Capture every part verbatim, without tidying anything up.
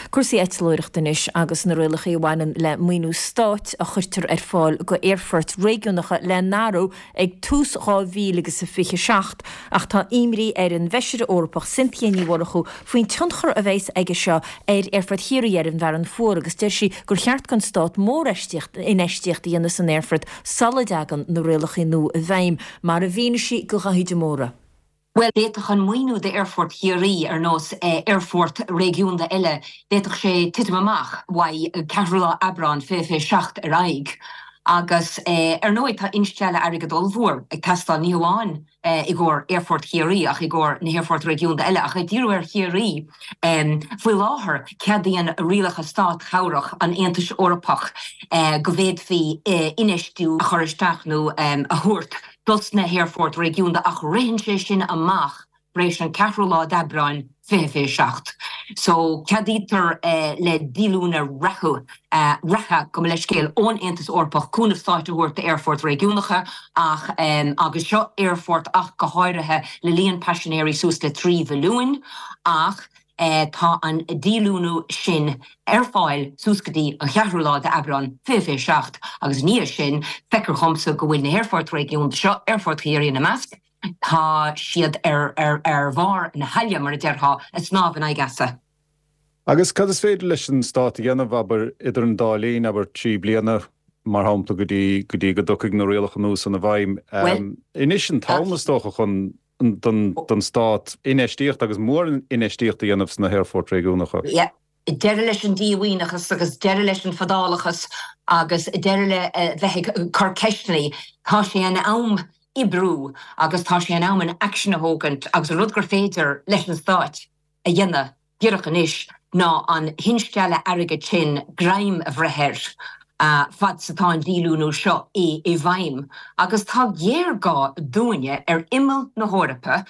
Cúrsaí eitleoireachta anois agus na rialacha a bhaineann le maoiniú stáit a chuirtear ar fáil go aerfoirt réigiúnacha le n-athrú ag tús dhá mhíle agus a fiche seacht ach tá imní ar an bhfeisire Eorpach Cynthia Ní Mhurchú faoin tionchar a bheas aige seo ar Aerfort Chiarraí ar an bhFearann Fuar agus deir sí gur cheart don stát mórinfheistíocht infheistíocht a dhéanamh san aerfort sula dtagann na rialacha nua i bhfeidhm mar a mhínigh sí do Dhaithí de Mórdha. Well d'fhéadfadh an maoiniú d'Aerfort Chiarraí ar nós aerfort réigiúnda eile d'fhéadfadh sé titim amach uaidh ceathrú lá Aibreán fiche fiche seacht ar aghaidh. Agus ar ndóigh tá instealladh airgead ollmhór ag teastáil ní hamháin i gcomhair Aerfort Chiarraí ach i gcomhair na haerfoirt réigiúnda eile ach ag díriú ar Chiarraí faoi láthair ceadaíonn rialacha státchabhrach an Aontais Eorpach go bhféadfaí infheistiú a chur isteach nó a thabhairt dos na haerfoirt réigiúnda ach ritheann sé sin amach tar éis an ceathrú lá d'Aibreán fiche fiche seacht. So ceadaítear le díolúine reatha reatha gabh mo leithscéal ón Aontas Eorpach cúnamh stáit a thabhairt d'aerfoirt réigiúnacha ach agus seo aerfort ach go háirithe le líon paisinéirí suas le trí mhilliún ach tá an díolúine sin ar fáil suas go dtí an cheathrú lá d'Aibreán fiche fiche seacht agus ní sin feictear domsa go bhfuil na haerfoirt réigiúnda seo Aerfort Chiarraí ina measc, tá siad ar ar ar bharr na haille mar a déarfá ag snámh in aghaidh easa. Agus cad is féidir leis an stát a dhéanamh abair idir an dá linn abair trí bliana mar shampla go dtí go dtí go dtiocfaidh na rialacha nua san i bhfeidhm. Anois an t-am is dócha chun don don stát infheistíocht agus mórinfheistíocht a dhéanamh sna haerfoirt réigiúnacha. Yeah. Deireadh leis an díomhaoineachas agus deireadh leis an fadálachas agus deireadh le bheith ag cur ceisteanna. Tá sé in am oibriú agus tá sé in am an action a thógaint agus an rud gur féidir leis an stáit a dhéanamh díreach anois ná an hinstealladh airgead sin greim a bhreith air fad is atá an díolúine seo i i bhfeidhm. Agus tá géarghá dúinne ar imeall na hEorpa,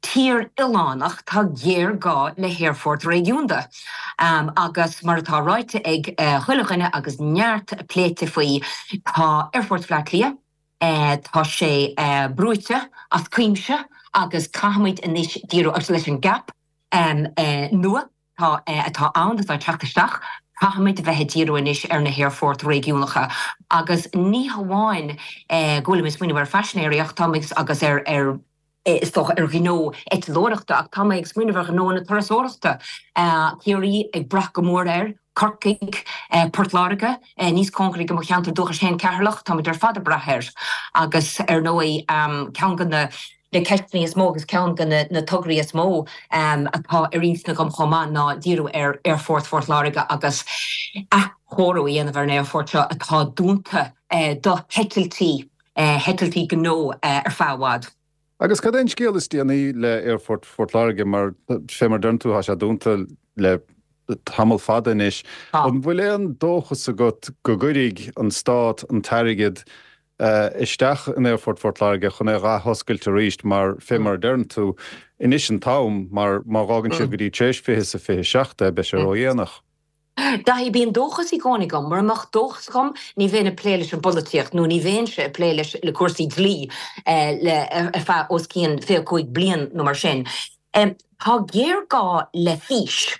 tír oileánach tá géarghá le haerfort réigiúnda. Um, agus mar atá ráite ag uh, chuile dhuine agus neart pléite faoi tá Aerfort Bhaile Átha Cliath, Uh, tá sé uh, brúite as cuimse agus caithfimid anois díriú agus leis an gcap um, uh, nua tá uh, atá ann atá teacht isteach, caithfimid bheith ag díriú anois ar na haerfoirt réigiúnacha agus ní hamháin eh, go bhfuil smaoineamh ar phaisinéirí ach tá agus ar ar is dócha ar ghnó eitleoireachta ach tá mé ag smaoineamh ar ghnó na turasóireachta. Ciarraí ag brath go mór air, Corcaigh, Port Láirge, níos cóngaraí do mo cheantar dúchais féin Ceatharlach, Tá ar fad ag brath air agus ar ndóigh ceann de na na ceisteanna is mó agus ceann de na, na tograí is mó um, atá ar intinn agam chomh maith ná díriú ar Aerfort Phort Láirge agus athchóiriú a dhéanamh ar an aerfort seo atá dúnta eh, do heitiltí eh, heitiltí gnó eh, ar feadh i bhfad. Agus cad é an scéal is déanaí le Aerfort Phort Láirge mar fé mar dúirt tú tá sé dúnta le tamall fada anois. An bhfuil aon dóchas agat go gcuirfidh an stát an t-airgead uh, isteach in Aerfort Phort Láirge chun é a athoscailt arís mar fé mar deireann tú anois an t-am mar má fhágann siad go dtí tar éis fiche sa fiche seacht beidh sé ródhéanach. Daithí bíonn dóchas i gcónaí agam, mura mbeadh dóchas agam ní bheinn ag plé leis an bpolaitíocht nó ní bheinnse ag plé leis le cúrsaí dlí eh, le ar feadh os cionn fiche cúig bliain nó mar sin. Um, tá géarghá le fís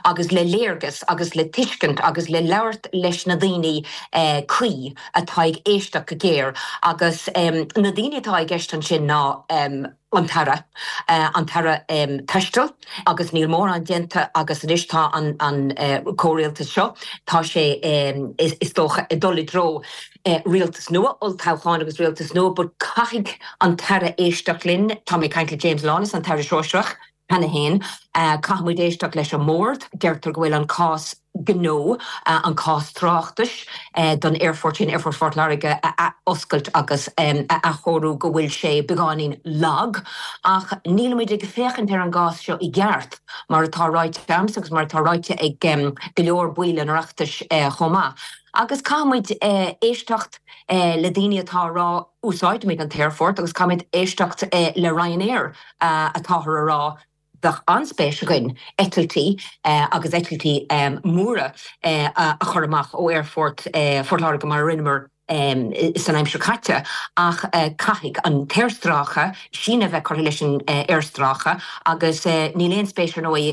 agus le léargas agus le tuiscint agus le labhairt leis na daoine eh, cuí atá ag éisteacht go géar agus um, na daoine atá i gceist ansin ná um, an tAire uh, an tAire um, taistil agus níl mórán déanta agus anois tá an, an uh, comhrialtas seo tá sé um, is, is dócha ag dul i dtreo uh, rialtas nua olltoghchán agus rialtas nua, but caithfidh an tAire éisteacht linn tá mé ag caint le James Lawless an tAire Sóisearach cheana féin uh, caithfimid éisteacht leis an mbord, deirtear go bhfuil an cás gnó uh, an cás tráchtais uh, don aerfort sin Aerfort Phort Láirge a athoscailt agus um, a athchóiriú go bhfuil sé beagáinín lag ach nílimid ag féachaint ar an gcás seo i gceart mar atá ráite agamsa agus mar atá ráite ag um, go leor baill an Oireachtais uh, chomh maith. Agus caithfimid uh, éisteacht uh, le daoine atá rá úsáidimid an t-aerfort agus caithfimid éisteacht uh, le Ryanair uh, atáthar a rá bheadh an-spéis againn eitiltí uh, agus eitiltí um, móra uh, a chur amach ó Aerfort uh, Phort Láirge mar rinneamar san aimsir chaite ach caithfidh an t-aerstráice síneadh a bheith curtha leis an aerstráice agus níl aon spéis ar ndóigh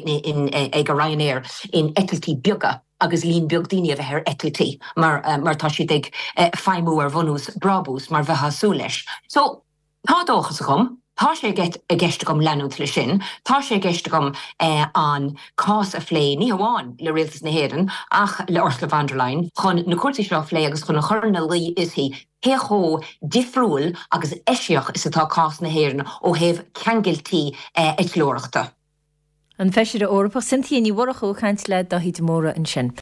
ag Ryanair in eitiltí beaga agus líon beag daoine a bheith ar eitiltí mar mar tá siad ag feidhmiú ar bhunús brabús mar bheifeá ag súil leis. So tá dóchas agam, tá sé i gceist agam leanúint leis sin, tá sé i gceist agam an cás a phlé ní hamháin le Rialtas na hÉireann ach le Ursula von der Leyen chun na cúrsaí seo a phlé agus chun a chur ina luí uirthi cé chomh difriúil agus eisiach is atá cás na hÉireann ó thaobh ceangailtí eitleoireachta. An Feisire Eorpach Cynthia Ní Mhurchú ag caint le Dáithí de Mórdha ansin.